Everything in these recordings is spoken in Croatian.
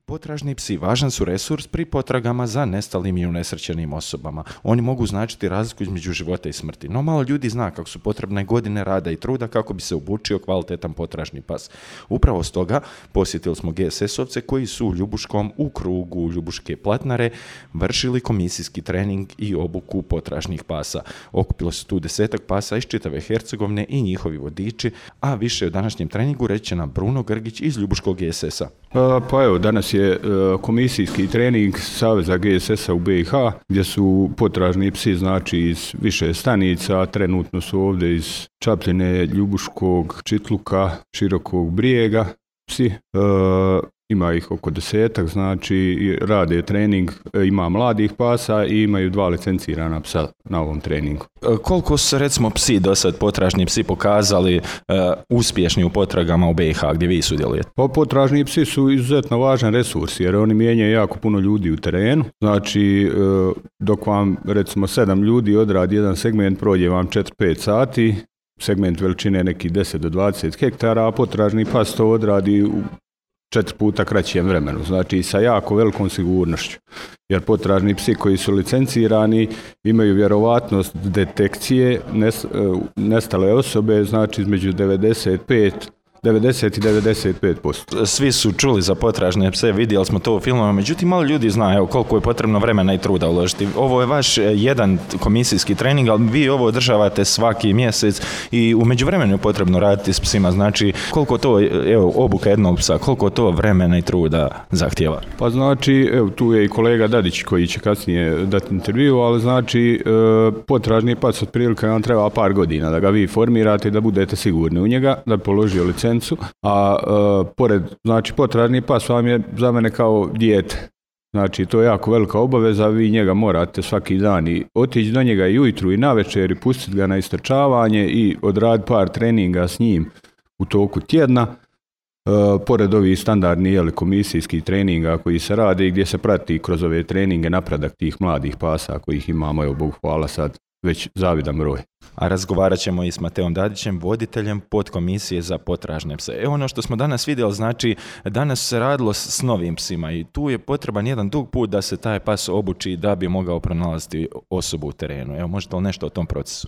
Potražni psi važan su resurs pri potragama za nestalim i unesrećenim osobama. Oni mogu značiti razliku između života i smrti, no malo ljudi zna kako su potrebne godine rada i truda kako bi se obučio kvalitetan potražni pas. Upravo stoga posjetili smo GSS-ovce koji su u Ljubuškom u krugu Ljubuške Platnare vršili komisijski trening i obuku potražnih pasa. Okupilo se tu 10 pasa iz čitave Hercegovine i njihovi vodiči, a više o današnjem treningu reći će nam Bruno Grgić iz Ljubuškog GSS-a. Pa evo, danas je komisijski trening Saveza GSS-a u BiH, gdje su potražni psi, znači iz više stanica, trenutno su ovdje iz Čapljine, Ljubuškog, Čitluka, Širokog Brijega psi. Ima ih oko 10, znači rade trening, ima mladih pasa i imaju 2 licencirana psa na ovom treningu. Koliko su recimo psi do sad, potražni psi, pokazali uspješni u potragama u BiH gdje vi sudjelujete? Pa potražni psi su izuzetno važan resurs jer oni mijenjaju jako puno ljudi u terenu. Znači dok vam recimo 7 ljudi odradi jedan segment, prođe vam 4-5 sati, segment veličine neki 10 do 20 hektara, a potražni pas to odradi u 4 puta kraćem vremenu, znači sa jako velikom sigurnošću. Jer potražni psi koji su licencirani imaju vjerovatnost detekcije nestale osobe, znači između 90 i 95%. Svi su čuli za potražne pse, vidjeli smo to u filmovima, međutim malo ljudi zna evo, koliko je potrebno vremena i truda uložiti. Ovo je vaš jedan komisijski trening, ali vi ovo održavate svaki mjesec i u međuvremenu je potrebno raditi s psima. Znači koliko to, evo, obuka jednog psa, koliko to vremena i truda zahtijeva? Pa znači, evo, tu je i kolega Dadić koji će kasnije dati intervju, ali znači potražni pas otprilike vam treba par godina da ga vi formirate i da budete sigurni u njega, da položio licencu. A pored, znači potražni pas vam je za mene kao dijete. Znači to je jako velika obaveza, vi njega morate svaki dan i otići do njega i ujutru i navečer i pustiti ga na istrčavanje i odraditi par treninga s njim u toku tjedna. Pored ovih standardnih komisijskih treninga koji se rade i gdje se prati kroz ove treninge napredak tih mladih pasa kojih imamo, evo Bogu hvala sad, već zavidan broj. A razgovarat ćemo i s Mateom Dadićem, voditeljem podkomisije za potražne pse. Ono što smo danas vidjeli, znači danas se radilo s novim psima i tu je potreban jedan dug put da se taj pas obuči da bi mogao pronalaziti osobu u terenu. Evo, možete li nešto o tom procesu?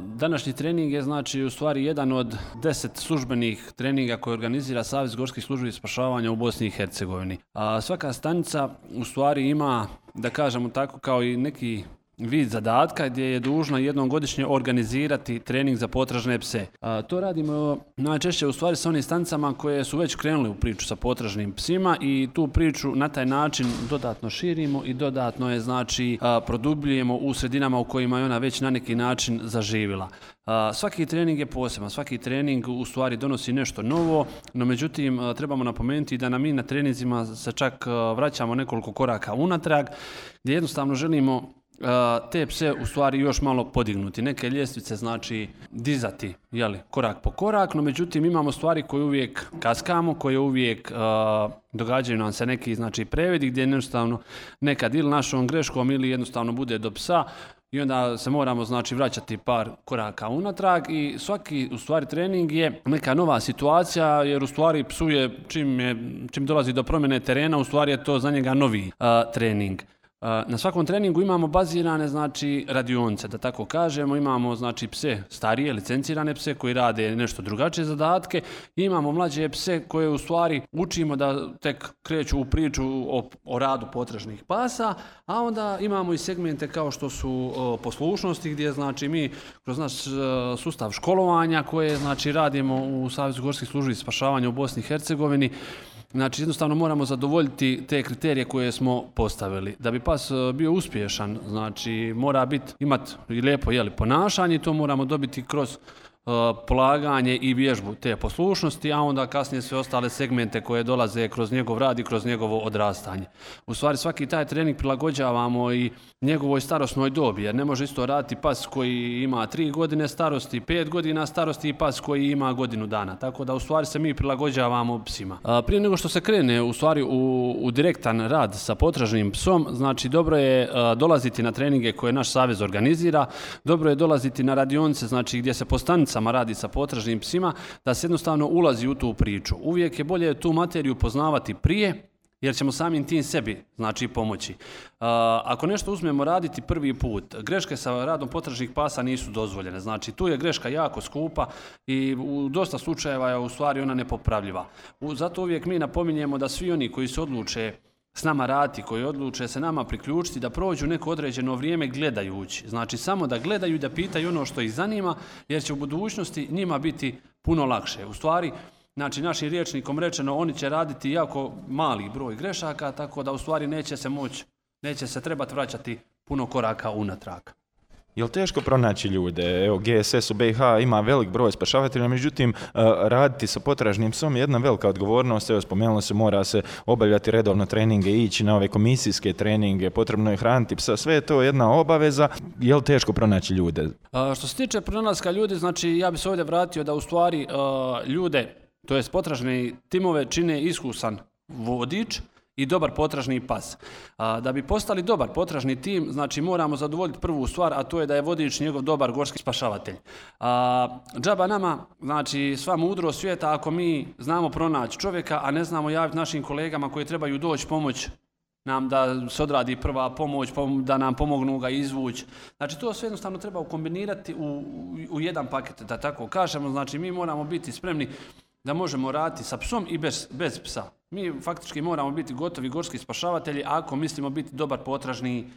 Današnji trening je znači u stvari jedan od 10 službenih treninga koje organizira Savez gorskih službi spašavanja u Bosni i Hercegovini. Svaka stanica u stvari ima, da kažemo tako, kao i neki vid zadatka gdje je dužna jednom godišnje organizirati trening za potražne pse. To radimo najčešće u stvari sa onim stanicama koje su već krenuli u priču sa potražnim psima i tu priču na taj način dodatno širimo i dodatno je znači produbljujemo u sredinama u kojima je ona već na neki način zaživjela. Svaki trening je poseban, svaki trening u stvari donosi nešto novo, no međutim trebamo napomenuti da mi na treninzima se čak vraćamo nekoliko koraka unatrag gdje jednostavno želimo te pse u stvari još malo podignuti. Neke ljestvice znači dizati korak po korak, no međutim imamo stvari koje uvijek kaskamo, koje uvijek događaju nam se neki znači previdi gdje jednostavno nekad ili našom greškom ili jednostavno bude do psa i onda se moramo znači vraćati par koraka unatrag i svaki u stvari trening je neka nova situacija jer u stvari psu je čim dolazi do promjene terena u stvari je to za njega novi trening. Na svakom treningu imamo bazirane znači radionice, da tako kažemo, imamo znači pse starije, licencirane pse koji rade nešto drugačije zadatke i imamo mlađe pse koje u stvari učimo da tek kreću u priču o radu potražnih pasa, a onda imamo i segmente kao što su poslušnosti gdje znači mi kroz naš sustav školovanja koje znači radimo u Savezu gorskih službi spašavanja u Bosni i Hercegovini. Znači jednostavno moramo zadovoljiti te kriterije koje smo postavili. Da bi pas bio uspješan, znači mora imati i lijepo ponašanje i to moramo dobiti kroz polaganje i vježbu te poslušnosti, a onda kasnije sve ostale segmente koje dolaze kroz njegov rad i kroz njegovo odrastanje. U stvari svaki taj trening prilagođavamo i njegovoj starosnoj dobi, jer ne može isto raditi pas koji ima 3 godine starosti, 5 godina starosti i pas koji ima godinu dana. Tako da u stvari se mi prilagođavamo psima. Prije nego što se krene u stvari u direktan rad sa potražnim psom, znači dobro je dolaziti na treninge koje naš savez organizira, dobro je dolaziti na radionice, znači gdje se po stanicama radi sa potražnim psima, da se jednostavno ulazi u tu priču. Uvijek je bolje tu materiju poznavati prije jer ćemo samim tim sebi znači pomoći. Ako nešto uzmemo raditi prvi put, greške sa radom potražnih pasa nisu dozvoljene. Znači tu je greška jako skupa i u dosta slučajeva je u stvari ona nepopravljiva. Zato uvijek mi napominjemo da svi oni koji se odluče s nama raditi, koji odluče se nama priključiti, da prođu neko određeno vrijeme gledajući. Znači samo da gledaju i da pitaju ono što ih zanima, jer će u budućnosti njima biti puno lakše. U stvari, znači našim rječnikom rečeno, oni će raditi jako mali broj grešaka, tako da u stvari neće se trebati vraćati puno koraka unatrag. Je li teško pronaći ljude? Evo, GSS u BiH ima velik broj spašavatelja, međutim, raditi sa potražnim psom je jedna velika odgovornost. Evo, spomenulo se, mora se obavljati redovno treninge, ići na ove komisijske treninge, potrebno je hraniti psa, sve je to jedna obaveza. Je li teško pronaći ljude? Što se tiče pronalaska ljudi, znači ja bi se ovdje vratio da u stvari ljude, to jest potražne timove, čine iskusan vodič i dobar potražni pas. Da bi postali dobar potražni tim, znači moramo zadovoljiti prvu stvar, a to je da je vodič njegov dobar gorski spašavatelj. Džaba nama, znači sva mudrost svijeta, ako mi znamo pronaći čovjeka, a ne znamo javiti našim kolegama koji trebaju doći pomoć nam da se odradi prva pomoć, da nam pomognu ga izvući. Znači to sve jednostavno treba ukombinirati u jedan paket, da tako kažemo. Znači mi moramo biti spremni da možemo raditi sa psom i bez psa. Mi faktički moramo biti gotovi gorski spašavatelji ako mislimo biti dobar potražni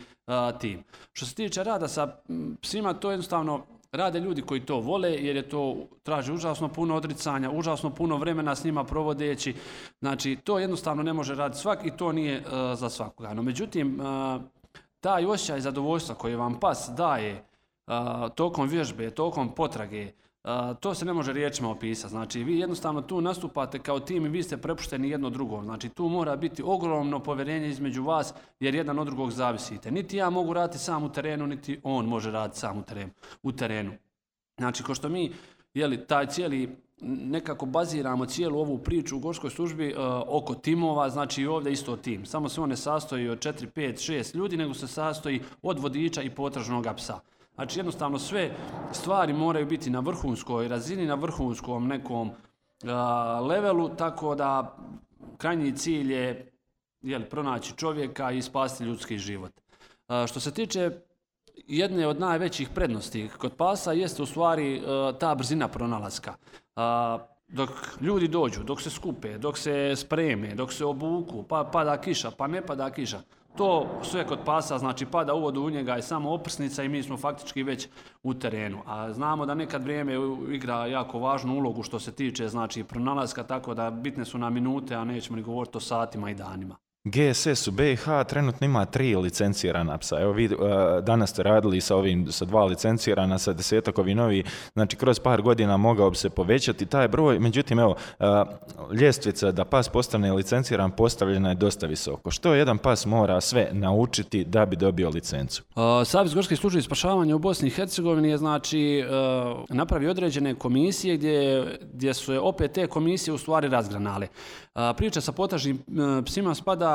tim. Što se tiče rada sa psima, to jednostavno rade ljudi koji to vole, jer je to traži užasno puno odricanja, užasno puno vremena s njima provodeći. Znači to jednostavno ne može raditi svak i to nije za svakoga. No međutim, taj osjećaj zadovoljstva koji vam pas daje tokom vježbe, tokom potrage, to se ne može riječima opisati. Znači vi jednostavno tu nastupate kao tim i vi ste prepušteni jedno drugom. Znači tu mora biti ogromno povjerenje između vas, jer jedan od drugog zavisite. Niti ja mogu raditi sam u terenu, niti on može raditi sam u terenu. Znači ko što mi taj cijeli nekako baziramo cijelu ovu priču u gorskoj službi oko timova, znači ovdje isto tim. Samo se on ne sastoji od 4, 5, 6 ljudi, nego se sastoji od vodiča i potražnog psa. Znači jednostavno sve stvari moraju biti na vrhunskoj razini, na vrhunskom nekom levelu, tako da krajnji cilj je pronaći čovjeka i spasiti ljudski život. Što se tiče jedne od najvećih prednosti kod pasa jeste u stvari ta brzina pronalaska. Dok ljudi dođu, dok se skupe, dok se spreme, dok se obuku, pa pada kiša, pa ne pada kiša. To sve kod pasa, znači pada u vodu u njega je samo oprsnica i mi smo faktički već u terenu. A znamo da nekad vrijeme igra jako važnu ulogu što se tiče znači pronalaska, tako da bitne su nam minute, a nećemo ni govoriti o satima i danima. GSS u BiH trenutno ima 3 licencirana psa. Evo vi danas ste radili sa 2 licencirana, sa 10 ovi novi, znači kroz par godina mogao bi se povećati taj broj, međutim evo, ljestvica da pas postane licenciran postavljena je dosta visoko. Što jedan pas mora sve naučiti da bi dobio licencu? Savez gorskih službi spašavanja u Bosni i Hercegovini je znači napravio određene komisije gdje su opet te komisije u stvari razgranale. Priča sa potražnim psima spada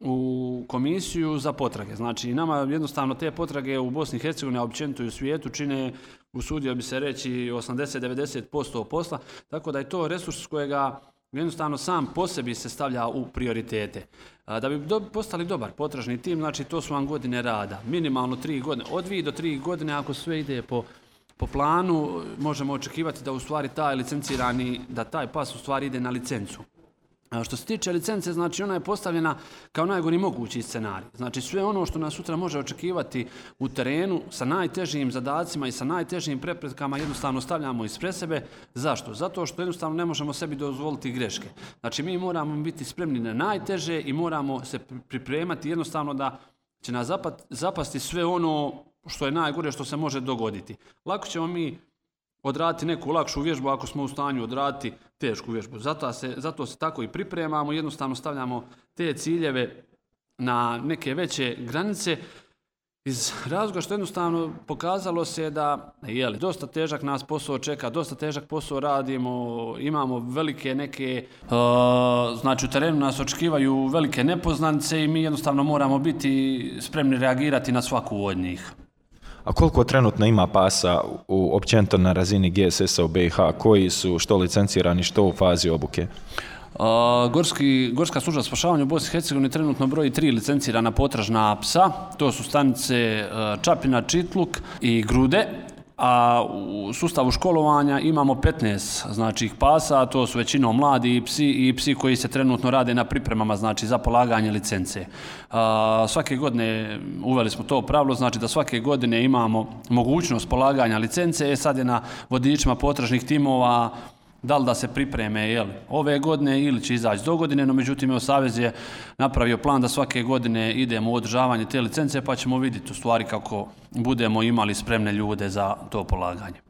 u komisiju za potrage. Znači, nama jednostavno te potrage u Bosni i Hercegovini, a općenito i u svijetu, čine, usudio bi se reći, 80-90% posla, tako da je to resurs kojega jednostavno sam po sebi se stavlja u prioritete. Da bi postali dobar potražni tim, znači to su vam godine rada, minimalno 3 godine, od 2 do 3 godine, ako sve ide po planu, možemo očekivati da u stvari taj licencirani, da taj pas u stvari ide na licencu. Što se tiče licence, znači ona je postavljena kao najgori mogući scenarij. Znači sve ono što nas sutra može očekivati u terenu sa najtežim zadacima i sa najtežim preprekama jednostavno stavljamo ispred sebe. Zašto? Zato što jednostavno ne možemo sebi dozvoliti greške. Znači mi moramo biti spremni na najteže i moramo se pripremati jednostavno da će nas zapasti sve ono što je najgore što se može dogoditi. Lako ćemo mi odraditi neku lakšu vježbu ako smo u stanju odraditi tešku vježbu. Zato se tako i pripremamo, jednostavno stavljamo te ciljeve na neke veće granice iz razloga što jednostavno pokazalo se da dosta težak nas posao čeka, dosta težak posao radimo, imamo velike neke, znači u terenu nas očekivaju velike nepoznanice i mi jednostavno moramo biti spremni reagirati na svaku od njih. A koliko trenutno ima pasa općenito na razini GSS-a u BiH, koji su što licencirani, što u fazi obuke? Gorska služba spašavanja u Bosni i Hercegovini trenutno broji 3 licencirana potražna psa. To su stanice Čapina, Čitluk i Grude. A u sustavu školovanja imamo 15 znači pasa, to su većinom mladi psi i psi koji se trenutno rade na pripremama znači za polaganje licence. Svake godine uveli smo to pravilo, znači da svake godine imamo mogućnost polaganja licence, sad je na vodičima potražnih timova da li da se pripreme ove godine ili će izaći do godine, no međutim Savez je napravio plan da svake godine idemo u održavanje te licence pa ćemo vidjeti u stvari kako budemo imali spremne ljude za to polaganje.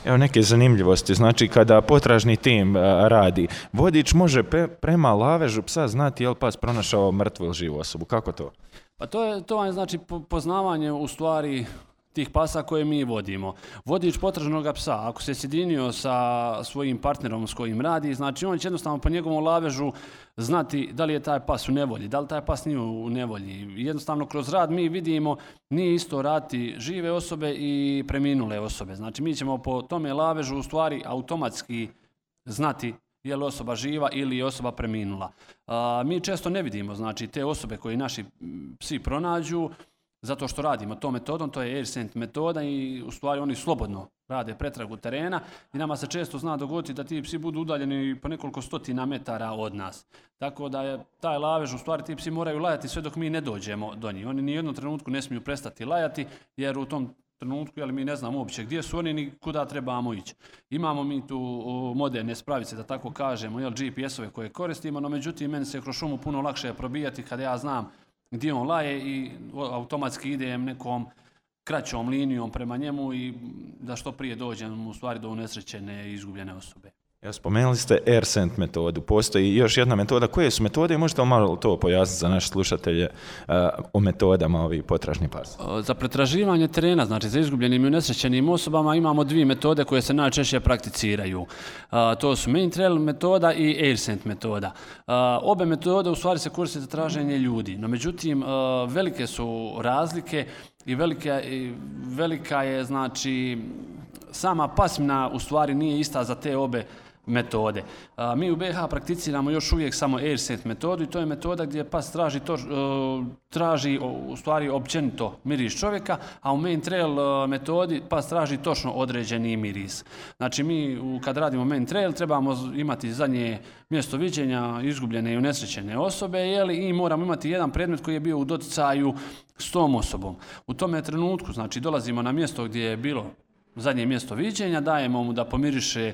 Evo neke zanimljivosti, znači kada potražni tim radi, vodič može prema lavežu psa znati je li pas pronašao mrtvu ili živu osobu, kako to? Pa to je znači poznavanje u stvari tih pasa koje mi vodimo. Vodič potražnog psa, ako se sjedinio sa svojim partnerom s kojim radi, znači on će jednostavno po njegovom lavežu znati da li je taj pas u nevolji, da li taj pas nije u nevolji. Jednostavno kroz rad mi vidimo nije isto raditi žive osobe i preminule osobe. Znači mi ćemo po tome lavežu u stvari automatski znati je li osoba živa ili je osoba preminula. Mi često ne vidimo znači te osobe koje naši psi pronađu, zato što radimo tom metodom, to je AirScent metoda i u stvari oni slobodno rade pretragu terena i nama se često zna dogoditi da ti psi budu udaljeni po nekoliko stotina metara od nas. Tako da je taj lavež, u stvari ti psi moraju lajati sve dok mi ne dođemo do njih. Oni ni u jednom trenutku ne smiju prestati lajati jer u tom trenutku mi ne znamo uopće gdje su oni ni kuda trebamo ići. Imamo mi tu moderne spravice, da tako kažemo, GPS-ove koje koristimo, no međutim meni se kroz šumu puno lakše probijati kada ja znam gdje on laje i automatski idem nekom kraćom linijom prema njemu i da što prije dođem u stvari do unesrećene i izgubljene osobe. Ja, spomenuli ste AirScent metodu, postoji još jedna metoda. Koje su metode i možete li malo to pojasniti za naše slušatelje o metodama ovih potražnih pasa? Za pretraživanje terena, znači za izgubljenim i unesrećenim osobama imamo 2 metode koje se najčešće prakticiraju. To su Main Trail metoda i AirScent metoda. Obe metode u stvari se koriste za traženje ljudi, no međutim velike su razlike i velika je znači sama pasmina u stvari nije ista za te obe metode. Mi u BiH prakticiramo još uvijek samo AirScent metodu i to je metoda gdje pas traži u stvari općenito miris čovjeka, a u Main Trail metodi pas traži točno određeni miris. Znači mi kad radimo Main Trail trebamo imati zadnje mjesto viđenja izgubljene i unesrećene osobe i moramo imati jedan predmet koji je bio u doticaju s tom osobom. U tome trenutku znači dolazimo na mjesto gdje je bilo zadnje mjesto viđenja, dajemo mu da pomiriše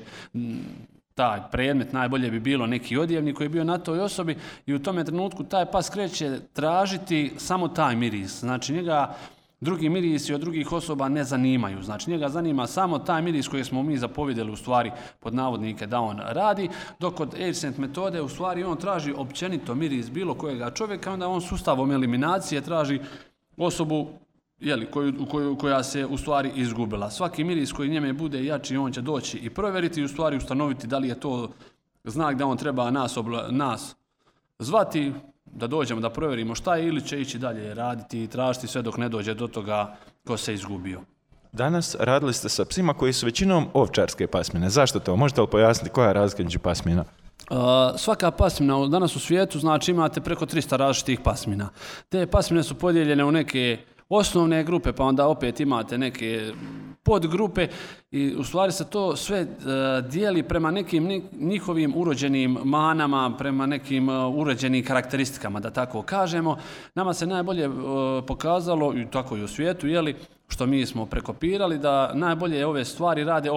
taj predmet, najbolje bi bilo neki odjevnik koji je bio na toj osobi i u tome trenutku taj pas kreće tražiti samo taj miris. Znači njega drugi mirisi od drugih osoba ne zanimaju. Znači njega zanima samo taj miris koji smo mi zapovjedili u stvari pod navodnike da on radi, dok kod AirScent metode u stvari on traži općenito miris bilo kojega čovjeka, onda on sustavom eliminacije traži osobu koja se u stvari izgubila. Svaki miris koji njeme bude jači, on će doći i provjeriti i u stvari ustanoviti da li je to znak da on treba nas zvati, da dođemo da provjerimo šta je ili će ići dalje raditi i tražiti sve dok ne dođe do toga ko se izgubio. Danas radili ste sa psima koji su većinom ovčarske pasmine. Zašto to? Možete li pojasniti koja je razlika među pasmina? Svaka pasmina danas u svijetu znači imate preko 300 različitih pasmina. Te pasmine su podijeljene u neke osnovne grupe, pa onda opet imate neke podgrupe i u stvari se to sve dijeli prema nekim njihovim urođenim manama, prema nekim urođenim karakteristikama, da tako kažemo. Nama se najbolje pokazalo, i tako i u svijetu, što mi smo prekopirali, da najbolje ove stvari rade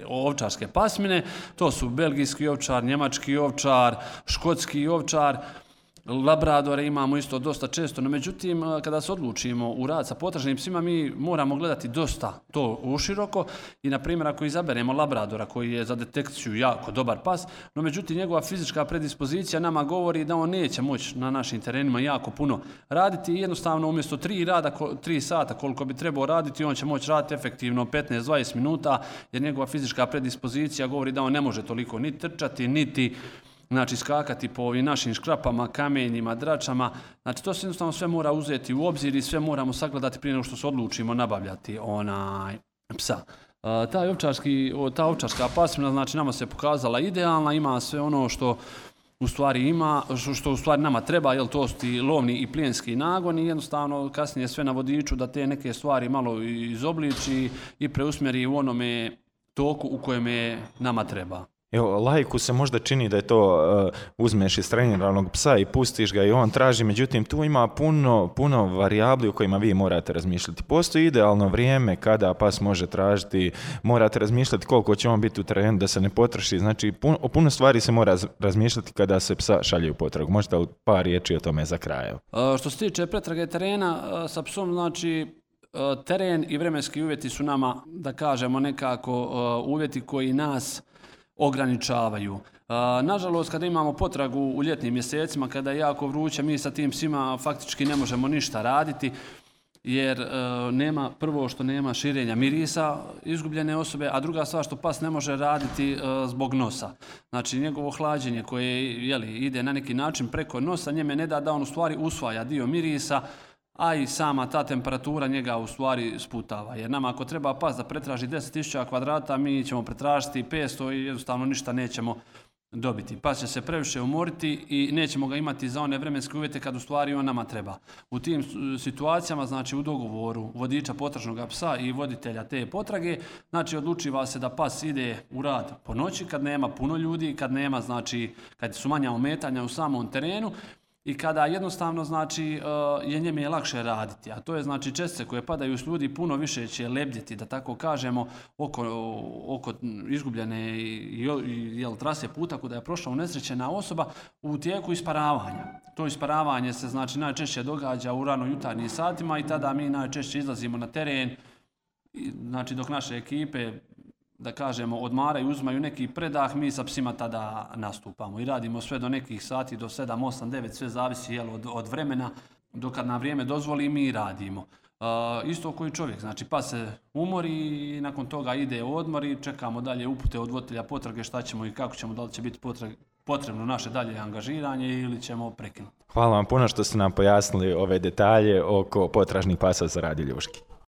ovčarske pasmine. To su belgijski ovčar, njemački ovčar, škotski ovčar, labradore imamo isto dosta često, no međutim kada se odlučimo u rad sa potražnim psima mi moramo gledati dosta to uširoko i na primjer ako izaberemo labradora koji je za detekciju jako dobar pas, no međutim njegova fizička predispozicija nama govori da on neće moći na našim terenima jako puno raditi i jednostavno umjesto 3 sata koliko bi trebao raditi on će moći raditi efektivno 15-20 minuta jer njegova fizička predispozicija govori da on ne može toliko ni trčati niti skakati po ovim našim škrapama, kamenjima, dračama. Znači to se jednostavno sve mora uzeti u obzir i sve moramo sagledati prije nego što se odlučimo nabavljati psa. Ta ovčarska pasmina znači nama se pokazala idealna, ima sve ono što u stvari ima, što u stvari nama treba, jel to su ti lovni i plijenski nagoni, jednostavno kasnije sve na vodiču da te neke stvari malo izobliči i preusmjeri u onome toku u kojem je nama treba. Evo, laiku se možda čini da je to uzmeš iz treniranog psa i pustiš ga i on traži, međutim tu ima puno varijabli u kojima vi morate razmišljati. Postoji idealno vrijeme kada pas može tražiti, morate razmišljati koliko će on biti u terenu da se ne potroši, znači o puno stvari se mora razmišljati kada se psa šalje u potragu. Možete li par riječi o tome za kraj? Što se tiče pretrage terena sa psom, znači teren i vremenski uvjeti su nama, da kažemo nekako, uvjeti koji nas ograničavaju. Nažalost, kada imamo potragu u ljetnim mjesecima, kada je jako vruće, mi sa tim psima faktički ne možemo ništa raditi, jer prvo što nema širenja mirisa izgubljene osobe, a druga stvar što pas ne može raditi zbog nosa. Znači, njegovo hlađenje koje ide na neki način preko nosa, njeme ne da on u stvari usvaja dio mirisa, a i sama ta temperatura njega u stvari sputava. Jer nama ako treba pas da pretraži 10.000 kvadrata, mi ćemo pretražiti 500 i jednostavno ništa nećemo dobiti. Pas će se previše umoriti i nećemo ga imati za one vremenske uvjete kad u stvari on nama treba. U tim situacijama, znači u dogovoru vodiča potražnog psa i voditelja te potrage, znači odlučiva se da pas ide u rad po noći kad nema puno ljudi, kad nema, znači kad su manja ometanja u samom terenu, i kada jednostavno znači je njeme lakše raditi, a to je znači čestice koje padaju s ljudi puno više će lebdjeti, da tako kažemo, oko izgubljene trase puta kuda je prošla unesrećena osoba u tijeku isparavanja. To isparavanje se znači najčešće događa u rano jutarnjim satima i tada mi najčešće izlazimo na teren, znači dok naše ekipe, da kažemo, odmaraju, uzmaju neki predah, mi sa psima tada nastupamo i radimo sve do nekih sati, do 7, 8, 9, sve zavisi od vremena, dok nam vrijeme dozvoli mi radimo. Isto koji čovjek, znači pas se umori i nakon toga ide odmor i čekamo dalje upute od voditelja potrage šta ćemo i kako ćemo, da li će biti potrebno naše dalje angažiranje ili ćemo prekinuti. Hvala vam puno što ste nam pojasnili ove detalje oko potražnih pasa za rad i ljuški.